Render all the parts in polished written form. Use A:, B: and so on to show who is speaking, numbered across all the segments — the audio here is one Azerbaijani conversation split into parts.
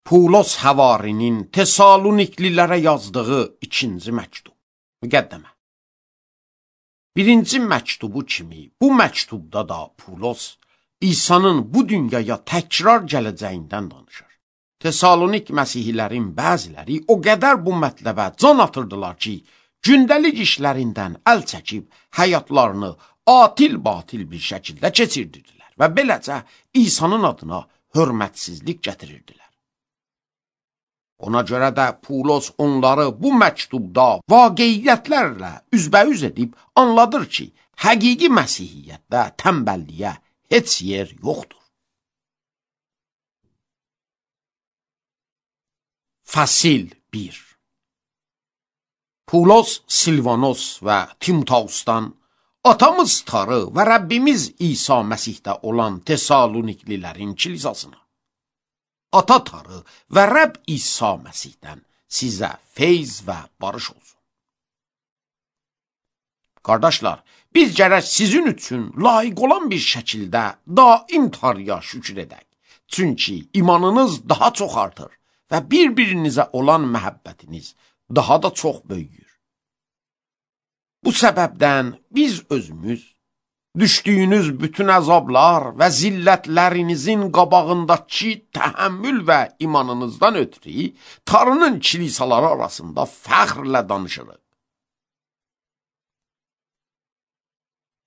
A: Pulos Həvarinin Tesaloniklilərə yazdığı 2-ci məktub. Müqəddəmə. 1-ci məktubu kimi bu məktubda da Pulos İsa'nın bu dünyaya təkrar gələcəyindən danışır. Tesalonik məsihlilərin bəziləri o qədər bu mətləbə can atırdılar ki, gündəlik işlərindən əl çəkib həyatlarını atil-batil bir şəkildə keçirdirdilər və beləcə İsa'nın adına hörmətsizlik gətirirdilər. Ona görə də Pulos onları bu məktubda vaqiiyyətlərlə üzbəüz edib anladır ki, həqiqi məsihiyyətdə tənbəlliyə heç yer yoxdur. Fəsil 1. Pulos, Silvanos və Timoteusdan atamız Tarı və Rəbbimiz İsa Məsihdə olan Tesaloniklilərin kilisasına, Ata Tarı və Rəbb İsa Məsihdən sizə feyz və barış olsun. Qardaşlar, biz gərək sizin üçün layiq olan bir şəkildə daim Tarıya şükür edək. Çünki imanınız daha çox artır və bir-birinizə olan məhəbbətiniz daha da çox böyüyür. Bu səbəbdən biz özümüz düşdüyünüz bütün əzablar və zillətlərinizin qabağındakı təhəmmül və imanınızdan ötürü Tarının kilisaları arasında fəxrlə danışırıq.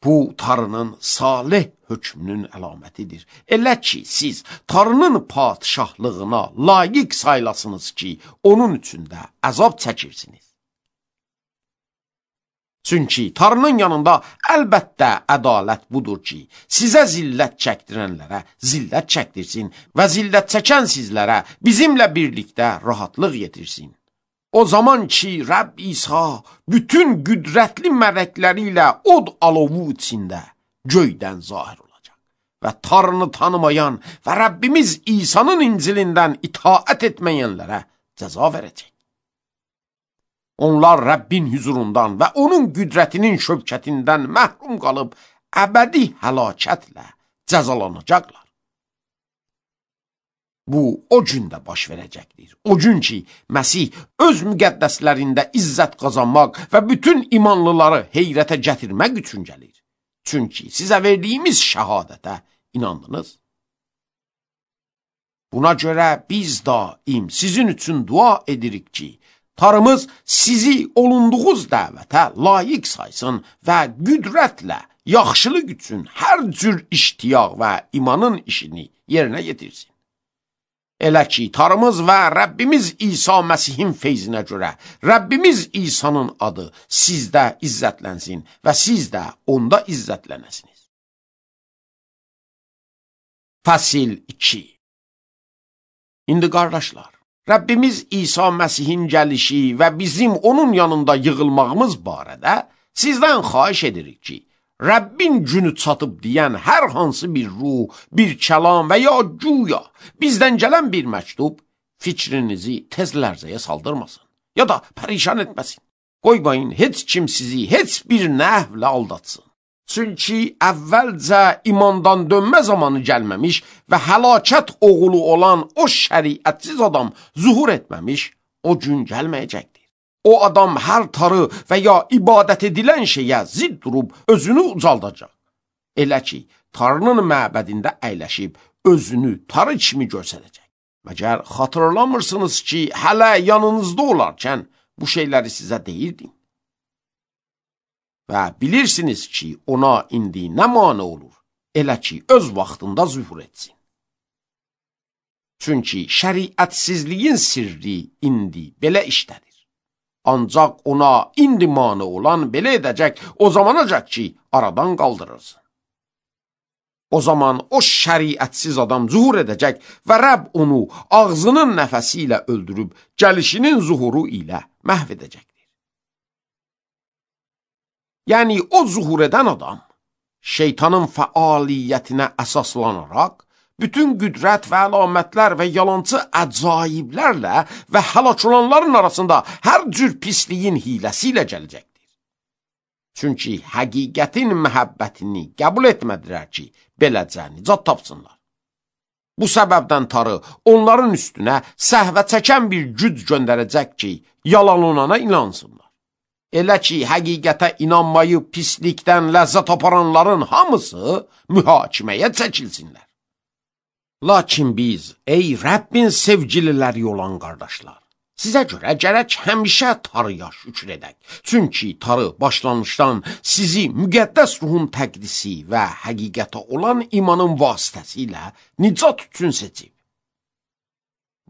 A: Bu Tarının salih hökmünün əlamətidir. Elə ki, siz Tarının padişahlığına layiq saylasınız ki, onun üçün də əzab çəkirsiniz. Çünki Tarının yanında əlbəttə ədalət budur ki, sizə zillət çəkdirənlərə zillət çəkdirsin və zillət çəkən sizlərə bizimlə birlikdə rahatlıq yetirsin. O zaman ki, Rəbb İsa bütün qüdrətli mələkləri ilə od alovu içində göydən zahir olacaq və Tarını tanımayan və Rəbbimiz İsa'nın İncilindən itaət etməyənlərə cəza verəcək. Onlar Rəbbin hüzurundan və onun qüdrətinin şövkətindən məhrum qalıb əbədi həlakətlə cəzalanacaqlar. Bu, o gündə baş verəcəkdir. O gün ki, Məsih öz müqəddəslərində izzət qazanmaq və bütün imanlıları heyrətə gətirmək üçün gəlir. Çünki sizə verdiyimiz şəhadətə inandınız. Buna görə biz daim sizin üçün dua edirik ki, Tarımız sizi olunduğunuz dəvətə layiq saysın və qüdrətlə yaxşılıq üçün hər cür iştiyaq və imanın işini yerinə yetirsin. Elə ki, Tarımız və Rəbbimiz İsa Məsihin feyzinə görə Rəbbimiz İsa'nın adı sizdə izzətlənsin və siz də onda izzətlənəsiniz. Fəsil 2. İndi qardaşlar, Rəbbimiz İsa Məsihin gəlişi və bizim onun yanında yığılmağımız barədə sizdən xahiş edirik ki, Rəbbin günü çatıb deyən hər hansı bir ruh, bir kəlam və ya güya bizdən gələn bir məktub fikrinizi tez lərzəyə saldırmasın ya da pərişan etməsin. Qoymayın heç kim sizi heç bir nəhvlə aldatsın. Çünki əvvəlcə imandan dönmə zamanı gəlməmiş və həlakət oğulu olan o şəriətsiz adam zuhur etməmiş, o gün gəlməyəcəkdir. O adam hər tarı və ya ibadət edilən şeyə zidd durub özünü ucaldacaq. Elə ki, Tarının məbədində əyləşib özünü tarı kimi göstərəcək. Məgər xatırlamırsınız ki, hələ yanınızda olarkən bu şeyləri sizə deyirdim. Və bilirsiniz ki, ona indi nə mane olur, elə ki, öz vaxtında zühur etsin. Çünki şəriətsizliyin sirri indi belə işlədir. Ancaq ona indi mane olan belə edəcək o zamanacaq ki, aradan qaldırırsın. O zaman o şəriətsiz adam zuhur edəcək və Rəbb onu ağzının nəfəsi ilə öldürüb, gəlişinin zuhuru ilə məhv edəcək. Yəni, o zuhur edən adam, şeytanın fəaliyyətinə əsaslanaraq, bütün qüdrət və əlamətlər və yalancı əcaiblərlə və həlak olanların arasında hər cür pisliyin hiləsi ilə gələcəkdir. Çünki həqiqətin məhəbbətini qəbul etmədilər ki, beləcə nicat tapsınlar. Bu səbəbdən Tanrı onların üstünə səhvə çəkən bir güc göndərəcək ki, yalanlanana inansınlar. Elə ki, həqiqətə inanmayıb pislikdən ləzzət aparanların hamısı mühakiməyə çəkilsinlər. Lakin biz, ey Rəbbin sevgililəri olan qardaşlar, sizə görə gərək həmişə Tanrıya şükür edək. Çünki Tanrı başlanmışdan sizi müqəddəs ruhun təqdisi və həqiqətə olan imanın vasitəsilə nicat üçün seçib.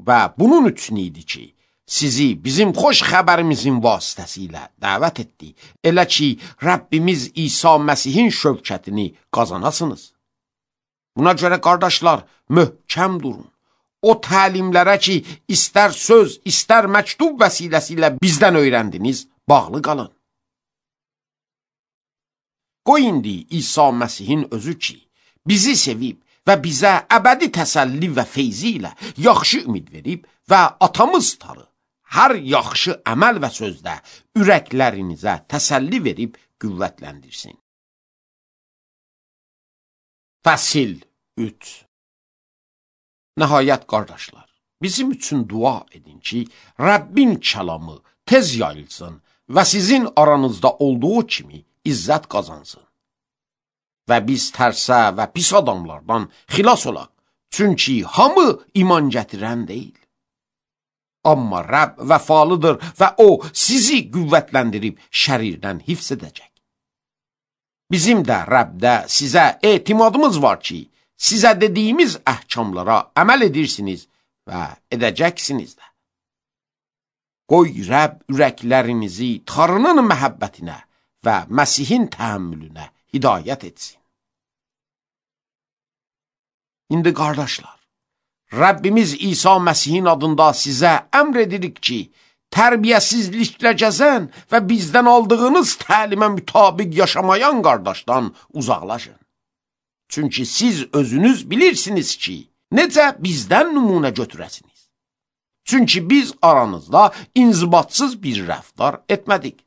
A: Və bunun üçün idi ki, sizi bizim xoş xəbərimizin vasitəsilə dəvət etdi. Elə ki, Rəbbimiz İsa Məsihin şövkətini qazanasınız. Buna görə qardaşlar, möhkəm durun. O təlimlərə ki, istər söz, istər məktub vəsiləsi ilə bizdən öyrəndiniz, bağlı qalın. Qoy indi İsa Məsihin özü ki, bizi sevib və bizə əbədi təsəlli və feyzi ilə yaxşı ümid verib və atamız Tanrı hər yaxşı əməl və sözdə ürəklərinizə təsəlli verib qüvvətləndirsin. Fəsil 3. Nəhayət qardaşlar, bizim üçün dua edin ki, Rəbbin kəlamı tez yayılsın və sizin aranızda olduğu kimi izzət qazansın. Və biz tərsə və pis adamlardan xilas olaq, çünki hamı iman gətirən deyil. Amma Rəbb vəfalıdır və o sizi qüvvətləndirib şərirdən hifz edəcək. Bizim də Rəbdə sizə etimadımız var ki, sizə dediyimiz əhkamlara əməl edirsiniz və edəcəksiniz də. Qoy Rəbb ürəklərinizi Tanrının məhəbbətinə və Məsihin təhəmmülünə hidayət etsin. İndi qardaşlar, Rəbbimiz İsa Məsihin adında sizə əmr edirik ki, tərbiyəsizliklə gəzən və bizdən aldığınız təlimə mütabiq yaşamayan qardaşdan uzaqlaşın. Çünki siz özünüz bilirsiniz ki, necə bizdən nümunə götürəsiniz. Çünki biz aranızda inzibatsız bir rəftar etmədik.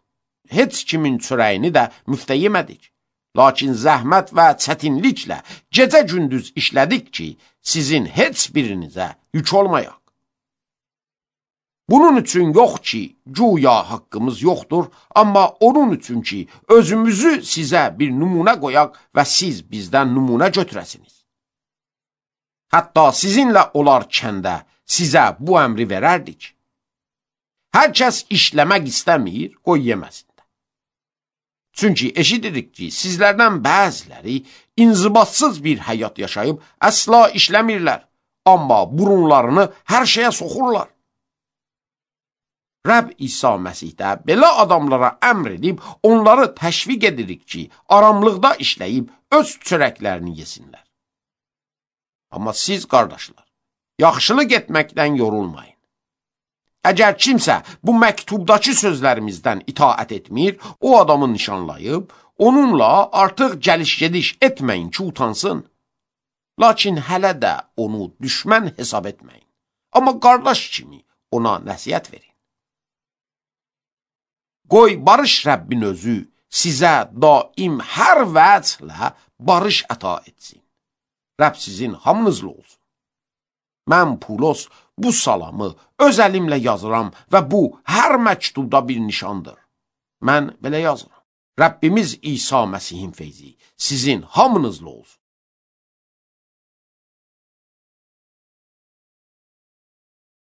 A: Heç kimin çörəyini də müftə yemədik. Lakin zəhmət və çətinliklə gecə-gündüz işlədik ki, sizin heç birinizə yük olmayaq. Bunun üçün yox ki, güya haqqımız yoxdur, amma onun üçün ki, özümüzü sizə bir nümunə qoyaq və siz bizdən nümunə götürəsiniz. Hətta sizinlə olarkəndə sizə bu əmri verərdik. Hər kəs işləmək istəmir, qoy yeməsin. Çünki eşidirik ki, sizlərdən bəziləri inzibatsız bir həyat yaşayıb əsla işləmirlər, amma burunlarını hər şeyə soxurlar. Rəbb İsa Məsihdə belə adamlara əmr edib, onları təşviq edirik ki, aramlıqda işləyib öz çörəklərini yesinlər. Amma siz, qardaşlar, yaxşılıq etməkdən yorulmayın. Əgər kimsə bu məktubdakı sözlərimizdən itaət etmir, o adamı nişanlayıb, onunla artıq gəliş-gediş etməyin ki, utansın. Lakin hələ də onu düşmən hesab etməyin. Amma qardaş kimi ona nəsihət verin. Qoy barış Rəbbin özü sizə daim hər vəclə barış əta etsin. Rəbb sizin hamınızla olsun. Mən Pulos bu salamı öz əlimlə yazıram və bu hər məktubda bir nişandır. Mən belə yazıram. Rəbbimiz İsa Məsihin feyzi sizin hamınızla olsun.